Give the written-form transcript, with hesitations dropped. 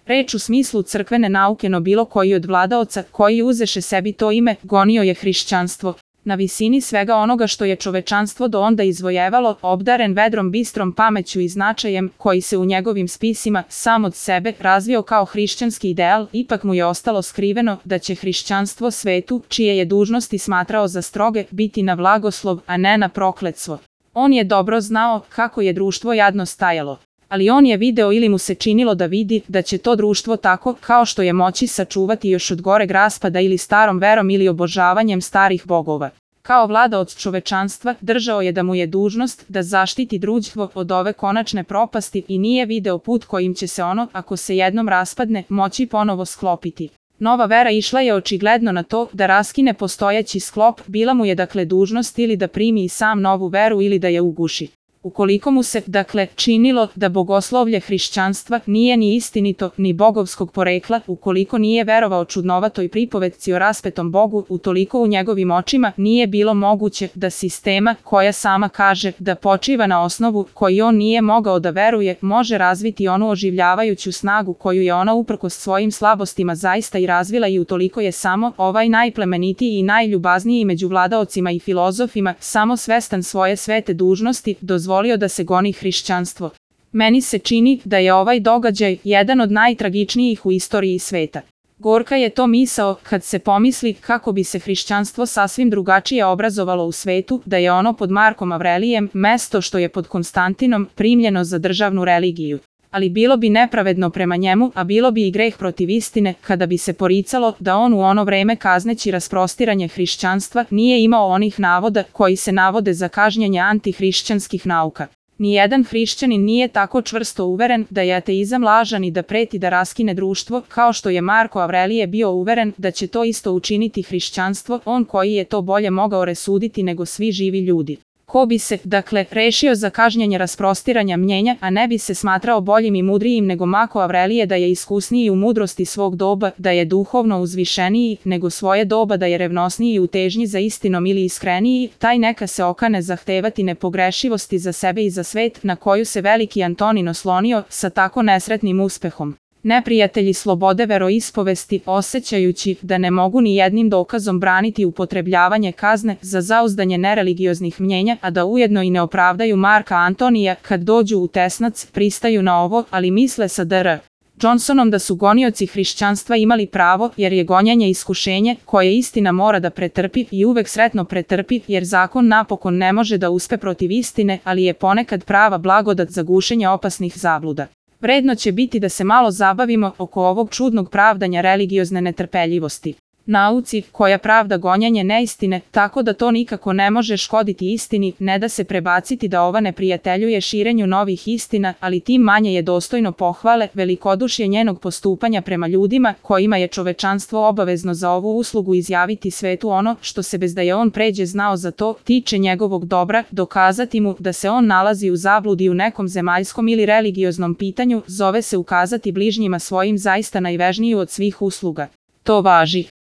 Reč u smislu crkvene nauke, no bilo koji od vladaoca koji uzeše sebi to ime, gonio je hrišćanstvo. Na visini svega onoga što je čovečanstvo do onda izvojevalo, obdaren vedrom bistrom pameću i značajem, koji se u njegovim spisima sam od sebe razvio kao hrišćanski ideal, ipak mu je ostalo skriveno da će hrišćanstvo svetu, čije je dužnosti smatrao za stroge, biti na blagoslov, a ne na prokletstvo. On je dobro znao kako je društvo jadno stajalo. Ali on je video ili mu se činilo da vidi da će to društvo tako kao što je moći sačuvati još od goreg raspada ili starom verom ili obožavanjem starih bogova. Kao vladaoc čovečanstva držao je da mu je dužnost da zaštiti društvo od ove konačne propasti i nije video put kojim će se ono, ako se jednom raspadne, moći ponovo sklopiti. Nova vera išla je očigledno na to da raskine postojeći sklop, bila mu je dakle dužnost ili da primi i sam novu veru ili da je uguši. Ukoliko mu se, dakle, činilo da bogoslovlje hrišćanstva nije ni istinito, ni bogovskog porekla, ukoliko nije verovao čudnovatoj pripovetci o raspetom Bogu, utoliko u njegovim očima nije bilo moguće da sistema, koja sama kaže da počiva na osnovu koji on nije mogao da veruje, može razviti onu oživljavajuću snagu koju je ona uprkos svojim slabostima zaista i razvila, i utoliko je samo ovaj najplemenitiji i najljubazniji među vladaocima i filozofima, samo svestan svoje svete dužnosti, dozvolio da se goni hrišćanstvo. Meni se čini da je ovaj događaj jedan od najtragičnijih u istoriji sveta. Gorka je to misao kad se pomisli kako bi se hrišćanstvo sasvim drugačije obrazovalo u svetu, da je ono pod Markom Avrelijem, mesto što je pod Konstantinom, primljeno za državnu religiju. Ali bilo bi nepravedno prema njemu, a bilo bi i greh protiv istine, kada bi se poricalo da on u ono vreme kazneći rasprostiranje hrišćanstva nije imao onih navoda koji se navode za kažnjenje antihrišćanskih nauka. Nijedan hrišćanin nije tako čvrsto uveren da je ateizam lažan i da preti da raskine društvo, kao što je Marko Avrelije bio uveren da će to isto učiniti hrišćanstvo, on koji je to bolje mogao resuditi nego svi živi ljudi. Ko bi se, dakle, rešio za kažnjenje rasprostiranja mnjenja, a ne bi se smatrao boljim i mudrijim nego Marko Avrelije, da je iskusniji u mudrosti svog doba, da je duhovno uzvišeniji nego svoje doba, da je revnosniji u težnji za istinom ili iskreniji, taj neka se okane zahtevati nepogrešivosti za sebe i za svet, na koju se veliki Antonin oslonio sa tako nesretnim uspehom. Neprijatelji slobode veroispovesti, osjećajući da ne mogu ni jednim dokazom braniti upotrebljavanje kazne za zauzdanje nereligioznih mnjenja, a da ujedno i ne opravdaju Marka Antonija kad dođu u tesnac, pristaju na ovo, ali misle sa dr. Johnsonom da su gonioci hrišćanstva imali pravo, jer je gonjanje iskušenje koje istina mora da pretrpi i uvek sretno pretrpi, jer zakon napokon ne može da uspe protiv istine, ali je ponekad prava blagodat za gušenje opasnih zabluda. Vredno će biti da se malo zabavimo oko ovog čudnog pravdanja religiozne netrpeljivosti. Nauci, koja pravda gonjanje neistine, tako da to nikako ne može škoditi istini, ne da se prebaciti da ova neprijateljuje širenju novih istina, ali tim manje je dostojno pohvale velikodušje njenog postupanja prema ljudima, kojima je čovečanstvo obavezno za ovu uslugu izjaviti svetu ono što se bez da je on pređe znao za to, tiče njegovog dobra, dokazati mu da se on nalazi u zabludi u nekom zemaljskom ili religioznom pitanju, zove se ukazati bližnjima svojim zaista najvežniju od svih usluga. To važi